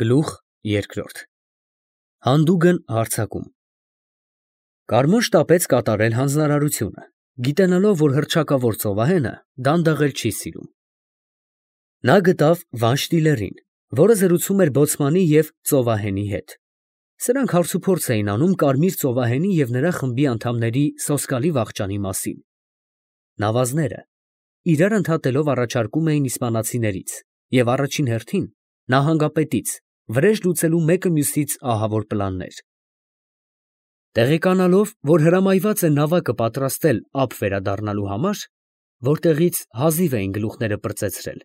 Գլուխ երկրորդ Հանդուգն հարձակում Կարմոն շտապեց կատարել հանձնարարությունը, գիտենալով, որ հռչակավոր ծովահենը դանդաղել չի սիրում։ Նա գտավ Վանշտիլերին, որը զրուցում էր բոցմանի և ծովահենի հետ։ Սրանք հարցուփորձ էին անում կարմիր ծովահենի և նրա խմբի անդամների սոսկալի վախճանի մասին։ Նավազները իրար ընդհատելով առաջարկում էին իսպանացիներից և առաջին հերթին նահանգապետից վրեժ լուծելու մեկը մյուսից ահավոր պլաններ։ Տեղեկանալով, որ հրամայված է նավակը պատրաստել ափ վերադառնալու համար, որտեղից հազիվ էին գլուխները պրծեցրել,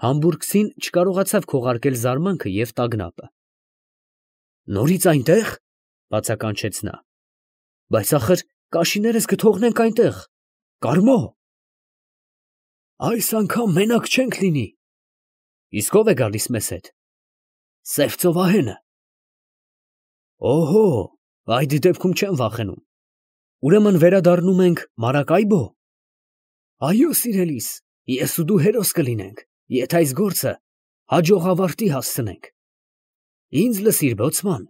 համբուրգցին չկարողացավ քողարկել զարմանքը և տագնապը։ «Նորից այնտե՞ղ» բացականչեց նա։ «Բայց ախր կաշիներս կթողնենք այնտեղ, Կարմո»։ «Այս անգամ մենակ չենք լինի»։ «Իսկ ո՞վ է գալիս մեզ հետ»։ «Սև ծովահենը»։ «Օհո, այդ դեպքում չեմ վախենում։ Ուրեմն վերադառնում ենք Մարակայբո»։ «Այո, սիրելիս, ես ու դու հերոս կլինենք, եթե այս գործը հաջող ավարտի հասցնենք։ Ինձ լսիր, բոցման,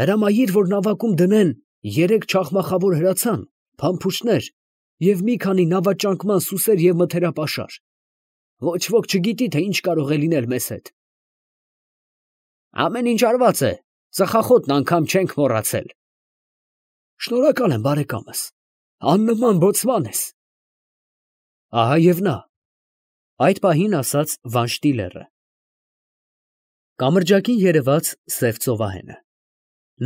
հրամայիր, որ նավակում դնեն 3 չախմախավոր հրացան, փամփուշտներ և մի քանի նավաճանկման սուսեր և մթերապաշար։ Ոչ ոք չգիտի, թե ինչ կարող է լինել մեզ հետ»։ «Ամեն ինչ արված է, ծխախոտն անգամ չենք մոռացել»։ «Շնորհակալ եմ, բարեկամս, աննման բոցման ես»։ Ահա և նա, այդ պահին ասաց Վանշտիլերը։ Կամրջակին երևաց սև ծովահենը։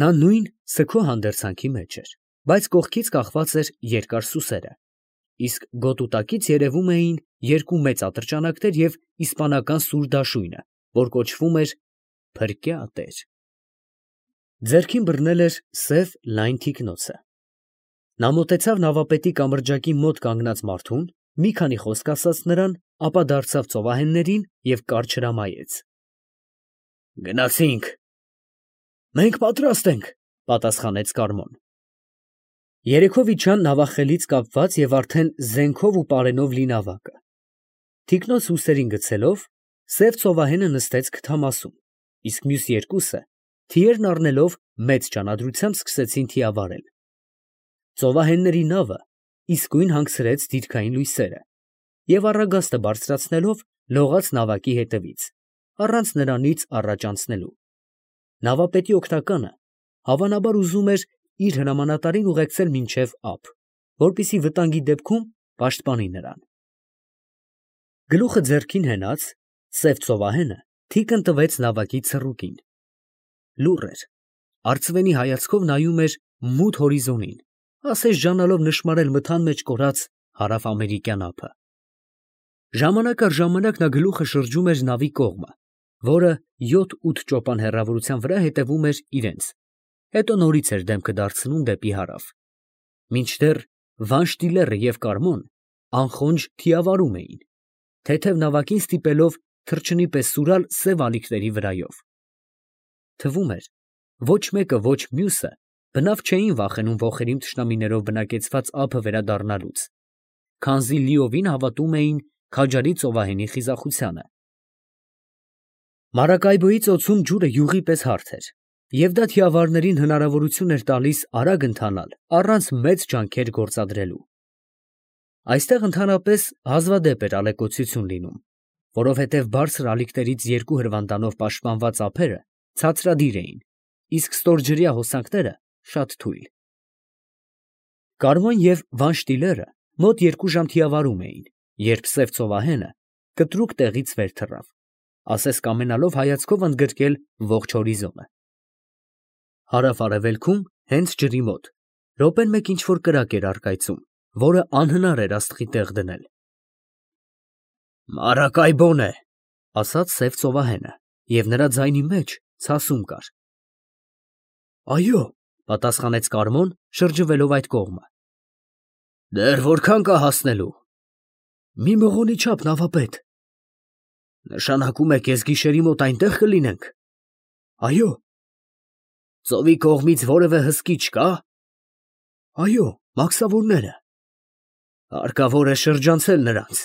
Նա նույն սգո հանդերձանքի մեջ էր, բայց կողքից կախված էր երկար սուսերը, իսկ գոտուտակից երևում էին 2 մեծ ատրճանակներ և իսպանական սուր դաշույնը, որ կոչվում էր «Փրկյա տեր»։ Ձեռքին բռնել էր սև լայն թիկնոցը։ Նա մոտեցավ նավապետի կամրջակի մոտ կանգնած մարդուն, մի քանի խոսք ասաց նրան, ապա դարձավ ծովահեններին և կարճ հրամայեց. «Գնացինք»։ «Մենք պատրաստ ենք», պատասխանեց Կարմոն։ Երեքով իջան նավախելից կապված և արդեն զենքով ու պարենով լի նավակը։ Թիկնոց ուսերին գցելով, սև ծովահենը նստեց քթամասում, իսկ մյուս երկուսը, թիերն առնելով, մեծ ջանադրությամբ սկսեցին թիավարել։ Ծովահենների նավը իսկույն հանգցրեց դիրքային լույսերը և առագաստը բարձրացնելով, լողաց նավակի հետևից, առանց նրանից առաջ անցնելու։ Նավապետի օգնականը հավանաբար ուզում էր իր հրամանատարին ուղեկցել մինչև ափ, որպեսզի վտանգի դեպքում պաշտպանի նրան։ Գլուխը ձեռքին հենած, սև ծովահենը թիկն տվեց նավակի ցռուկին։ Լուռ էր, արծվենի հայացքով նայում էր մութ հորիզոնին, ասես ժանալով նշմարել մթան մեջ կորած հարավամերիկյան ափը։ Ժամանակ առ ժամանակ նա գլուխը շրջում էր նավի կողմը, որը 7-8 ճոպան հեռավորության վրա հետևում էր իրենց, հետո նորից էր դեմքը դարձնում դեպի հարավ, մինչդեռ Վանշտիլերը և Կարմոն անխոնջ թիավարում էին, թեթև նավակին ստիպելով թռչնի պես սուրալ սև ալիքների վրայով։ Թվում էր, ոչ մեկը, ոչ մյուսը բնավ չէին վախենում ոխերիմ թշնամիներով բնակեցված ափը վերադառնալուց, քանզի լիովին հավատում էին քաջարի ծովահենի խիզախությանը։ Մարակայբոյի ծոցում ջուրը յուղի պես հարթ էր, և դա թիավարներին հնարավորություն էր տալիս արագ ընթանալ առանց մեծ ջանքեր գործադրելու։ Այստեղ ընդհանրապես հազվադեպ էր ալեկոծություն լինում, որովհետև բարձր ալիքներից 2 հրվանդանով պաշտպանված ափերը ցածրադիր էին, իսկ ստորջրյա հոսանքները շատ թույլ։ Կարմոն և Վանշտիլերը մոտ 2 ժամ թիավարում էին, երբ սև ծովահենը կտրուկ տեղից վեր թռավ, ասես կամենալով հայացքով ընդգրկել ողջ հորիզոնը։ Հարավ֊արևելքում, հենց ջրի մոտ, րոպեն մեկ ինչ֊որ կրակ էր առկայծում, որը անհնար էր աստղի տեղ դնել։ «Մարակայբոն է», ասաց սև ծովահենը, և նրա ձայնի մեջ ցասում կար։ «Այո», պատասխանեց Կարմոն, շրջվելով այդ կողմը։ «Դեռ որքա՞ն կա հասնելու»։ «Մի մղոնի չափ, նավապետ»։ «Նշանակում է կեսգիշերի մոտ այնտեղ կլինենք»։ «Այո»։ «Ծովի կողմից որևէ հսկի չկա»։ «Այո, մաքսավորները»։ «Հարկավոր է շրջանցել նրանց»։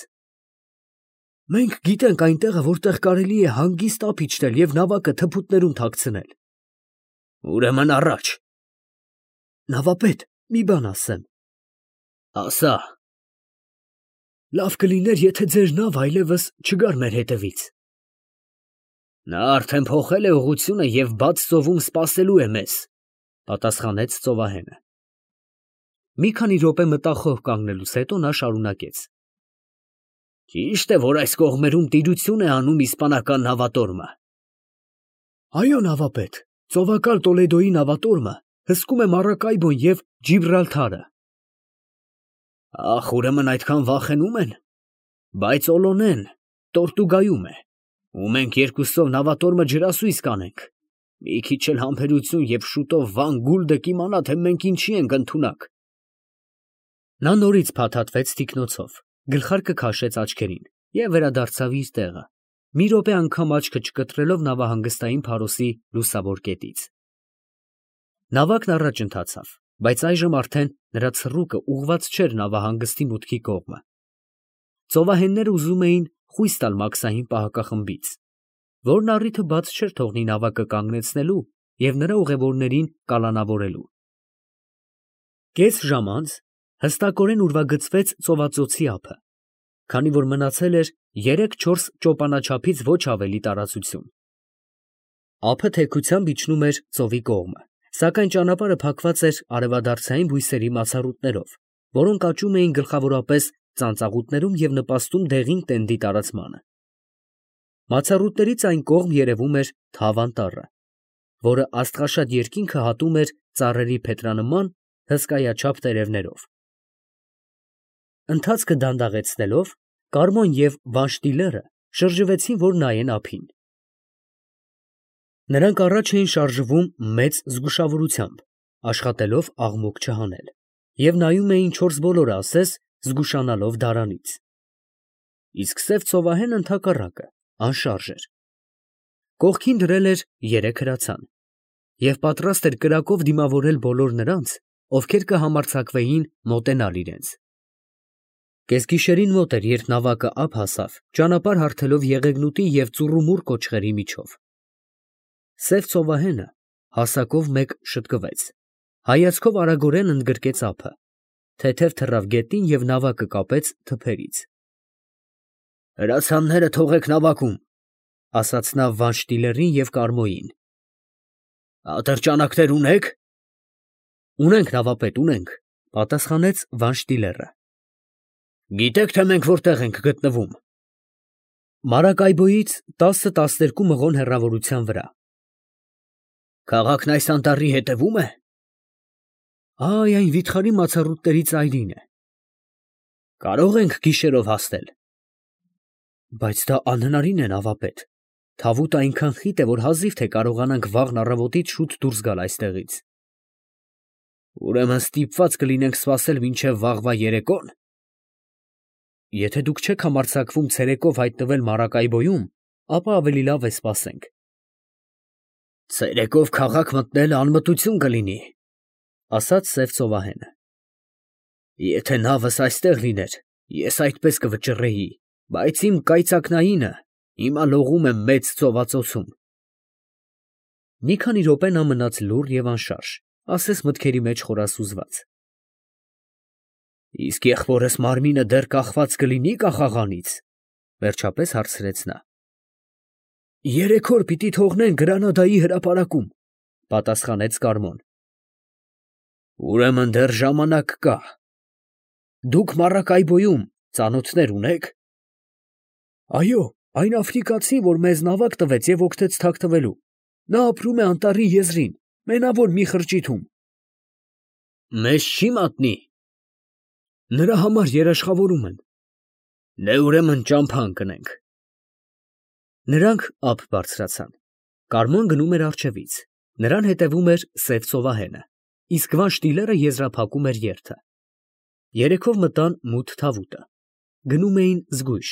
Մենք գիտենք այն տեղը, որտեղ կարելի է հանգիստ ափ իջնել և նավակը թփուտներում թաքցնել։ Ուրեմն առաջ։ Նավապետ, մի բան ասեմ։ Ասա։ Լավ կլիներ, եթե ձեր նավը այլևս չգար մեր հետևից։ Նա արդեն փոխել է ուղղությունը և բաց ծովում սպասելու է մեզ, պատասխանեց ծովահենը։ Մի քանի րոպե մտախոհ կանգնելուց հետո նա շարունակեց. Ճիշտ է, որ այս կողմերում տիրություն է անում իսպանական նավատորմը։ Այո, նավապետ, ծովակալ Տոլեդոյի նավատորմը հսկում է Մարակայբոն և Ջիբրալթարը։ Ախ, ուրեմն այդքան վախենում են։ Բայց Օլոնեն Տորտուգայում է, ու մենք երկուսով նավատորմը ջրասույզ կանենք։ Մի քիչ էլ համբերություն և շուտով Վան Գուլդը կիմանա, թե մենք ինչի ենք ընդունակ։ Նա նորից փաթաթվեց թիկնոցով, գլխարկը քաշեց աչքերին և վերադարձավ իր տեղը, մի րոպե անգամ աչքը չկտրելով նավահանգստային փարոսի լուսավոր կետից։ Նավակն առաջ ընթացավ, բայց այժմ արդեն նրա ցռուկը ուղղված չէր նավահանգստի մուտքի կողմը։ Ծովահենները ուզում էին խույս տալ մաքսային պահակախմբից, որն առիթը բաց չէր թողնի նավակը կանգնեցնելու և նրա ուղևորներին կալանավորելու։ Կես ժամ անց հստակորեն ուրվագծվեց ծովածոցի ափը, քանի որ մնացել էր 3-4 ճոպանաչափից ոչ ավելի տարածություն։ Ափը թեքությամբ իջնում էր ծովի կողմը, սակայն ճանապարհը փակված էր արևադարձային բույսերի մացառուտներով, որոնք աճում էին գլխավորապես ծանծաղուտներում և նպաստում դեղին տենդի տարածմանը։ Մացառուտներից այն կողմ երևում էր Թավ անտառը, որը աստղաշատ երկինքը հատում էր ծառերի փետրանման հսկայաչափ տերևներով։ Ընթացքը դանդաղեցնելով, Կարմոն և Վանշտիլերը շրջվեցին, որ նայեն ափին։ Նրանք առաջ էին շարժվում մեծ զգուշավորությամբ, աշխատելով աղմուկ չհանել, և նայում էին չորս բոլորը ասես, զգուշանալով դարանից։ Իսկ սև ծովահենը ընդհակառակը, անշարժ էր։ Կողքին դրել էր 3 հրացան և պատրաստ էր կրակով դիմավորել բոլոր նրանց, ովքեր կհամարձակվեին մոտենալ իրենց։ Կեսգիշերին մոտ էր, երբ նավակը ափ հասավ, ճանապարհ հարթելով Եղեգնուտի և Ծուռումուռ կոճղերի միջով։ Սև ծովահենը հասակով մեկ շտկվեց, հայացքով արագորեն ընդգրկեց ափը, թեթև թռավ գետին և նավակը կապեց թփերից։ Հրացանները թողեք նավակում, ասաց նա Վանշտիլերին և Կարմոյին։ Ատրճանակներ ունե՞ք։ Ունենք, նավապետ, ունենք, պատասխանեց Վանշտիլերը։ Գիտեք, թե մենք որտեղ ենք գտնվում։ Մարակայբոյից 10-12 մղոն հեռավորության վրա։ Քաղաքն այս անտառի հետևո՞ւմ է։ Այ այն վիթխարի մացառուտների ծայրին է։ Կարող ենք գիշերով հասնել։ Բայց դա անհնարին է, նավապետ։ Թավուտը այնքան խիտ է, որ հազիվ թե կարողանանք վաղն առավոտից շուտ դուրս գալ այստեղից։ Ուրեմն ստիպված կլինենք սպասել մինչև վաղվա երեկո՞ն։ Եթե դուք չեք համարձակվում ցերեկով հայտնվել Մարակայբոյում, ապա ավելի լավ է սպասենք։ Ցերեկով քաղաք մտնելը անմտություն կլինի, ասաց սև ծովահենը։ Եթե նավս այստեղ լիներ, ես այդպես կվճռեի, բայց իմ կայծակնայինը հիմա լողում է մեծ ծովածոցում։ Մի քանի րոպե նա մնաց լուռ և անշարժ, ասես մտքերի մեջ խորասուզված։ Իսկ եղբորս մարմինը դեռ կախված կլինի կախաղանից, վերջապես հարցրեց նա։ 3 օր պիտի թողնեն Գրանադայի հրապարակում, պատասխանեց Կարմոն։ Ուրեմն դեռ ժամանակ կա։ Դուք Մարակայբոյում ծանոթներ ունե՞ք։ Այո, այն աֆրիկացին, որ մեզ նավակ տվեց և օգնեց թաքնվելու։ Նա ապրում է անտառի եզրին, մենավոր մի խրճիթում։ Մեզ չի մատնի։ Նրա համար երաշխավորում են։ Դե ուրեմն ճամփա ընկնենք։ Նրանք ափ բարձրացան։ Կարմոն գնում էր առջևից, նրան հետևում էր սև ծովահենը, իսկ Վանշտիլերը եզրափակում էր երթը։ Երեքով մտան մութ թավուտը։ Գնում էին զգույշ,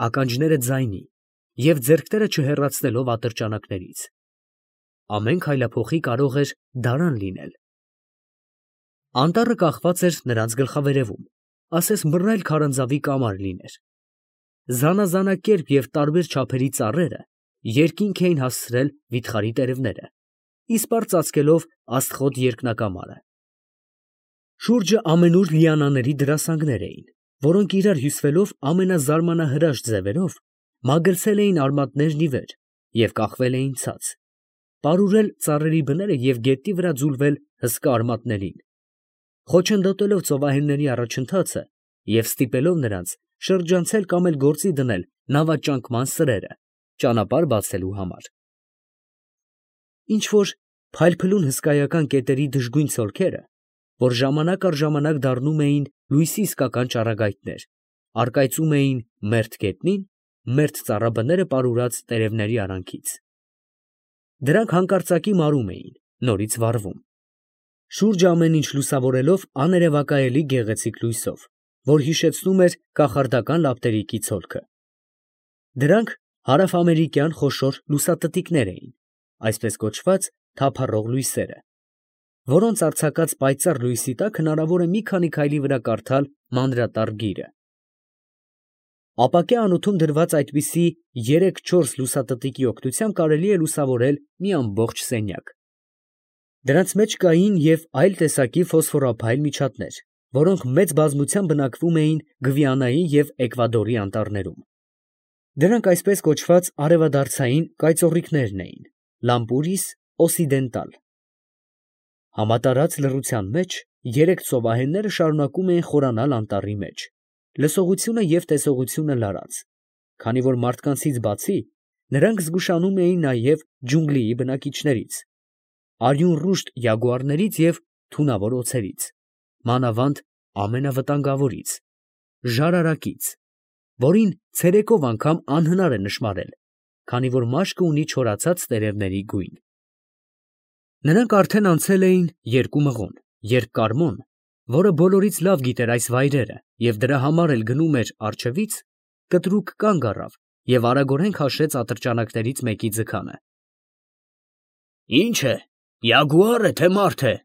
ականջները ձայնի և ձեռքները չհեռացնելով ատրճանակներից։ Ամեն քայլափոխի կարող էր դարան լինել։ Անտառը կախված էր նրանց գլխավերևում, ասես բռնել քարանձավի կամար լիներ։ զանազանակերպ և տարբեր չափերի ծառերը երկինք էին հասցրել վիթխարի տերևները, իսպառ ծածկելով աստղոտ երկնակամարը։ Շուրջը ամենուր լիանաների դրասանգներ էին, որոնք իրար հյուսվելով ամենազարմանահրաշ ձևերով մագլցել էին արմատներն ի վեր և կախվել էին ցած, պարուրել ծառերի բները և գետնի վրա ձուլվել հսկա արմատներին, խոչընդոտելով ծովահենների առաջընթացը և ստիպելով նրանց շրջանցել կամ էլ գործի դնել նավաճանկման սրերը, ճանապարհ բացելու համար։ Ինչ֊որ փայլփլուն հսկայական կետերի դժգույն ցոլքերը, որ ժամանակ առ ժամանակ դառնում էին լույսի իսկական ճառագայթներ, առկայծում էին մերթ գետնին, մերթ ծառաբները պարուրած տերևների արանքից։ Դրանք հանկարծակի մարում էին, նորից վառվում, շուրջը ամեն ինչ լուսավորելով աներևակայելի գեղեցիկ լույսով, որ հիշեցնում էր կախարդական լապտերիկի ցոլքը։ Դրանք հարավամերիկյան խոշոր լուսատտիկներ էին, այսպես կոչված թափառող լույսերը, որոնց արձակած պայծառ լույսի տակ հնարավոր է մի քանի քայլի վրա կարդալ մանրատար գիրը։ Ապակյա անոթում դրված այդպիսի 3-4 լուսատտիկի օգնությամբ կարելի է լուսավորել մի ամբողջ սենյակ։ Դրանց մեջ կային և այլ տեսակի ֆոսֆորափայլ միջատներ, որոնք մեծ բազմությամբ բնակվում էին Գվիանայի և Էկվադորի անտառներում։ Դրանք այսպես կոչված արևադարձային կայծոռիկներն էին, Լամպուրիս օսիդենտալ։ Համատարած լռության մեջ երեք ծովահենները շարունակում էին խորանալ անտառի մեջ, լսողությունը և տեսողությունը լարած, քանի որ մարդկանցից բացի, նրանք զգուշանում էին նաև ջունգլիի բնակիչներից, արյունռուշտ յագուարներից և թունավոր օձերից, մանավանդ ամենավտանգավորից, ժարարակից, որին ցերեկով անգամ անհնար է նշմարել, քանի որ մաշկը ունի չորացած տերևների գույն։ Նրանք արդեն անցել էին 2 մղոն, երբ Կարմոն, որը բոլորից լավ գիտեր այս վայրերը և դրա համար էլ գնում էր առջևից, կտրուկ կանգ առավ և արագորեն քաշեց ատրճանակներից մեկի ձգանը։ ֊ Ի՞նչ է, յագուա՞ր է, թե մարդ է, ֊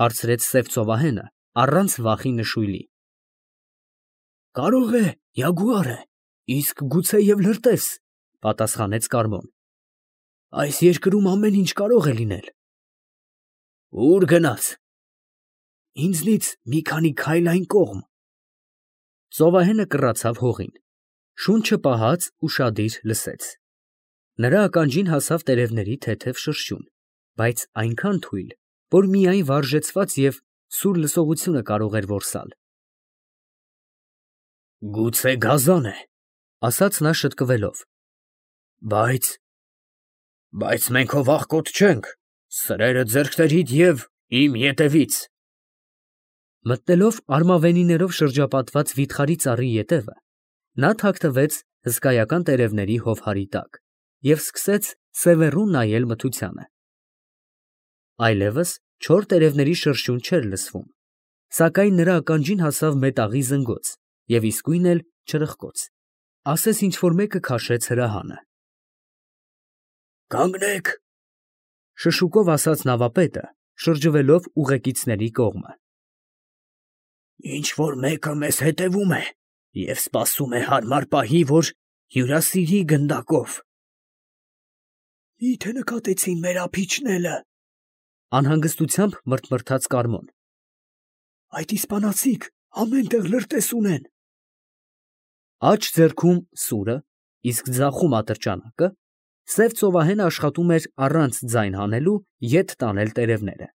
հարցրեց սև ծովահենը առանց վախի նշույլի։ ֊ Կարող է յագուար է, իսկ գուցե և լրտես, ֊ պատասխանեց Կարմոն։ Այս երկրում ամեն ինչ կարող է լինել։ ֊ Ո՞ւր գնաց։ ֊ Ինձնից մի քանի քայլ այն կողմ։ Ծովահենը կռացավ հողին, շունչը պահած ուշադիր լսեց։ Նրա ականջին հասավ տերևների թեթև շրշյուն, բայց այնքան թույլ, որ միայն վարժեցված և սուր լսողությունը կարող էր որսալ։ Գուցե գազան է, ֊ ասաց նա շտկվելով։ Բայց մենք հո վախկոտ չենք, սրերը ձեռքներիդ և իմ ետևից։ Մտնելով արմավենիներով շրջապատված վիթխարի ծառի ետևը, նա թաքնվեց հսկայական տերևների հովհարի տակ և սկսեց սևեռուն նայել մթությանը։ Այլևս չոր տերևների շրշյուն չէր լսվում, սակայն նրա ականջին հասավ մետաղի զնգոց և իսկույն էլ չրպկոց, ասես ինչ֊որ մեկը քաշեց հրահանը։ Կանգնեք, ֊ շշուկով ասաց նավապետը, շրջվելով ուղեկիցների կողմը։ Ինչ֊որ մեկը մեզ հետևում է և սպասում է հարմար պահի, որ հյուրասիրի գնդակով։ Մի՞թե նկատեցին մեր ափիչները, ֊ անհանգստությամբ մռթմռթաց Կարմոն։ Այդ իսպանացիք ամեն տեղ լրտես ունեն։ Աջ ձեռքում սուրը, իսկ ձախում ատրճանակը, սև ծովահենը աշխատում էր առանց ձայն հանելու ետ տանել տերևները։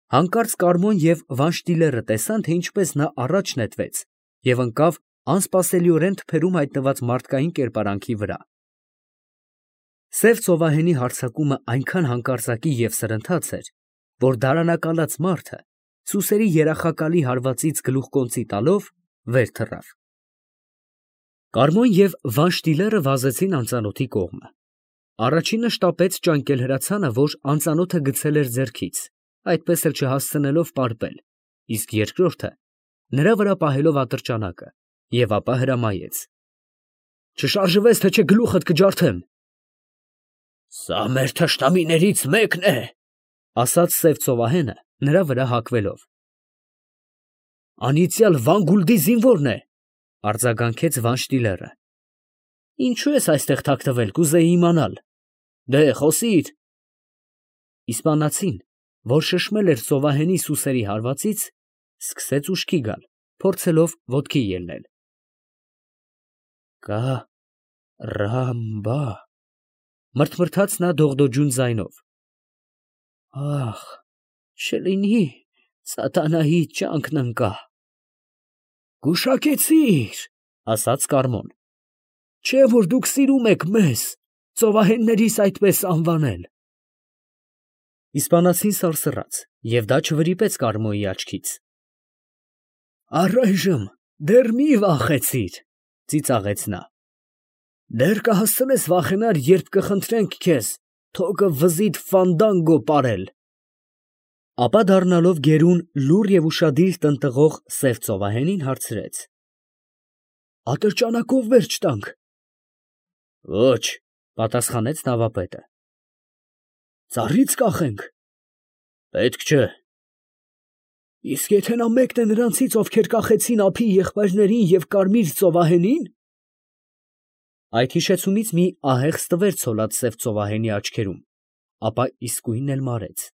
Հանկարծ Կարմոն և Վանշտիլերը տեսան, թե ինչպես նա առաջ նետվեց և ընկավ անսպասելիորեն թփերում հայտնված մարդկային կերպարանքի վրա։ Սև ծովահենի հարձակումը այնքան հանկարծակի և սրընթաց էր, որ դարանակալած մարդը, սուսերի երախակալի հարվածից գլուխկոնծի տալով, վեր թռավ։ Կարմոն և Վանշտիլերը վազեցին անծանոթի կողմը։ Առաջինը շտապեց ճանկել հրացանը, որ անծանոթը գցել էր ձեռքից, այդպես էլ չհասցնելով պարպել, իսկ երկրորդը նրա վրա պահելով ատրճանակը, և ապա հրամայեց. Չշարժվես, թե չէ գլուխդ կջարդեմ։ Սա մեր թշնամիներից մեկն է, ֊ ասաց սև ծովահենը, նրա վրա հագվելով։ Անիծյալ Վան Գուլդի զինվորն է, Արձագանքեց Վանշտիլերը։ Ինչու ես այստեղ թաքնվել, կուզեի իմանալ։ Դե խոսիր։ Իսպանացին, որ շշմել էր ծովահենի սուսերի հարվածից, սկսեց ուշքի գալ, փորձելով ոտքի ելնել։ Կարամբա, մրթմրթաց նա դողդոջուն ձայնով։ Ախ, չլինի սատանայի ճանկն ընկա։ Գուշակեցիր, ասաց Կարմոն, չէ որ դուք սիրում եք մեզ, ծովահեններիս այդպես անվանել։ Իսպանացին սարսռաց, և դա չվրիպեց Կարմոյի աչքից։ Առայժմ դեռ մի վախեցիր, ծիծաղեց նա։ Դեռ կհասցնես վախենալ, երբ կխնդրենք քեզ թոկը վզիդ ֆանդանգո պարել։ Ապա դառնալով գերուն, լուռ և ուշադիր տնտղող սև ծովահենին հարցրեց. Ատրճանակով վերջ տանք։ Ոչ, պատասխանեց նավապետը։ Ծառից կախենք։ Պետք չէ։ Իսկ եթե նա մեկն է նրանցից, ովքեր կախեցին ափի եղբայրներին և կարմիր ծովահենին։ Այդ հիշեցումից մի ահեղ ստվեր ցոլած սև ծովահենի աչքերում, ապա իսկույն էլ մարեց։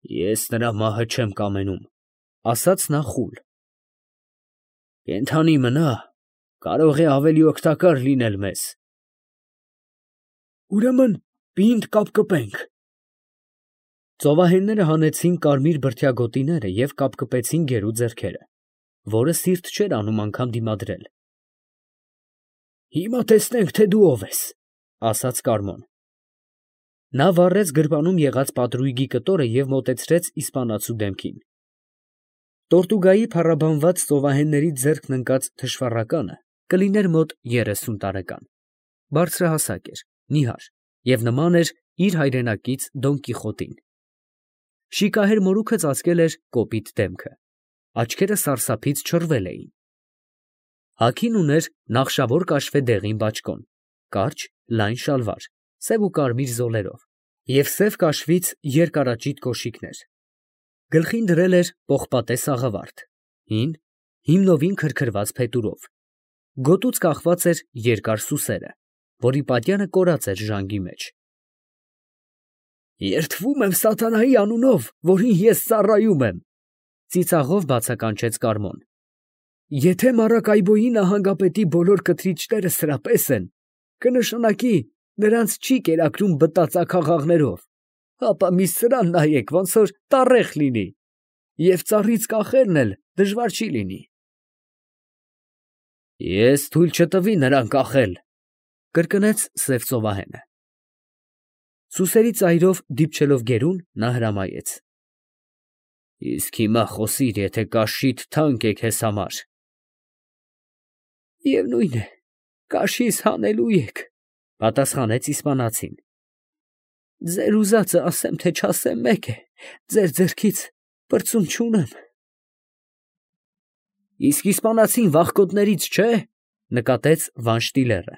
Ես նրա մահը չեմ կամենում, ասաց նա խուլ։ Կենդանի մնա, կարող է ավելի օգտակար լինել մեզ։ Ուրեմն պինդ կապկպենք։ Ծովահենները հանեցին կարմիր բրդյա գոտիները և կապկպեցին գերու ձեռքերը, որը սիրտ չէր անում անգամ դիմադրել։ Հիմա տեսնենք, թե դու ով ես, ասաց Կարմոն։ Նա վառեց գրպանում եղած պատրույգի կտորը և մոտեցրեց իսպանացու դեմքին։ Տորտուգայի փառաբանված ծովահեններից ձեռքն ընկած թշվառականը կլիներ մոտ 30 տարեկան, բարձրահասակ էր, նիհար և նման էր իր հայրենակից Դոն Կիխոտին։ Շիկահեր մորուքը ծածկել էր կոպիտ դեմքը, աչքերը սարսափից չռվել էին։ Հագին ուներ նախշավոր կաշվե դեղին բաճկոն, կարճ, լայն շալվար, սև ու կարմիր զոլերով և սև կաշվից երկարաճիտ կոշիկներ։ Գլխին դրել էր պողպատե սաղավարտ, հին, հիմնովին քրքրված փետուրով։ Գոտուց կախված էր երկար սուսերը, որի պատյանը կորած էր ժանգի մեջ։ Երդվում եմ սատանայի անունով, որին ես ծառայում եմ, ծիծաղով բացականչեց Կարմոն։ Եթե Մարակայբոյի նահանգապետի բոլոր կթրիչները սրապես են, կնշանակի նրանց չի կերակրում բտածակաղաղներով, ապա մի սրան նայեք, ոնց որ տառեղ լինի, և ծառից կախելն էլ դժվար չի լինի։ Ես թույլ չտվի նրան կախել, կրկնեց սև ծովահենը։ Սուսերի ծայրով դիպչելով գերուն, նա հրամայեց. Իսկ հիմա խոսիր, եթե կաշիդ թանկ է քեզ համար։ Միևնույն է, կաշիս հանելու եք, պատասխանեց իսպանացին։ Ձեր ուզածը ասեմ, թե չասեմ մեկ է, ձեր ձեռքից պրծում չունեմ։ Իսկ իսպանացին վախկոտներից չէ, նկատեց Վանշտիլերը։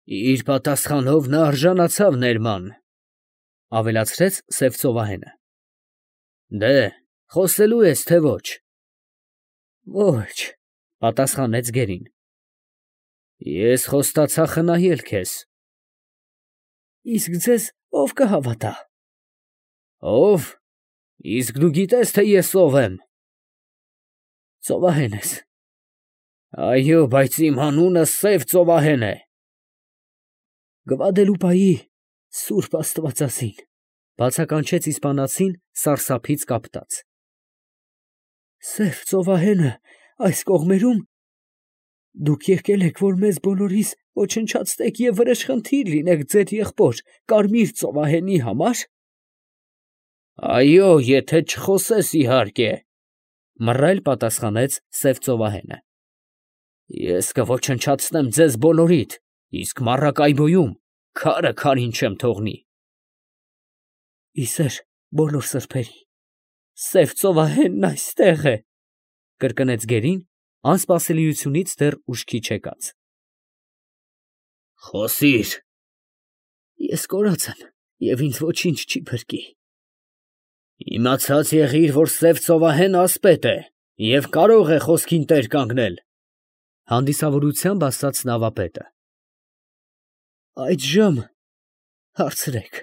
Իր պատասխանով նա արժանացավ ներման, ավելացրեց սև ծովահենը։ Դե, խոսելու ես, թե ոչ։ Ոչ, պատասխանեց գերին։ Ես խոստացա խնայել քեզ։ Իսկ ձեզ ով կհավատա։ Ով։ Իսկ դու գիտես, թե ես ով եմ։ Ծովահեն ես։ Այո, բայց իմ անունը սև ծովահեն է։ Գվադելուպայի սուրբ աստվածածին, բացականչեց իսպանացին սարսափից կապտած։ Սև ծովահենը այս կողմերում։ Դուք եկել եք, որ մեզ բոլորիս ոչնչացնեք և վրեժխնդիր լինեք ձեր եղբոր կարմիր ծովահենի համար։ Այո, եթե չխոսես իհարկե, մռայլ պատասխանեց սև ծովահենը։ Ես կոչնչացնեմ ձեզ բոլորիդ, իսկ Մարակայբոյում քարը քարին չեմ թողնի։ Իսեր բոլոր սրբերի, սև ծովահենն այստեղ է, կրկնեց գերին, անսպասելիությունից դեռ ուշքի չեկած։ Խոսիր։ Ես կորած եմ և ինձ ոչինչ չի փրկի։ Իմացած եղիր, որ սև ծովահենը ասպետ է, Եվ կարող է խոսքին տեր կանգնել, հանդիսավորությամբ ասաց նավապետը։ Այդժամ հարցրեք։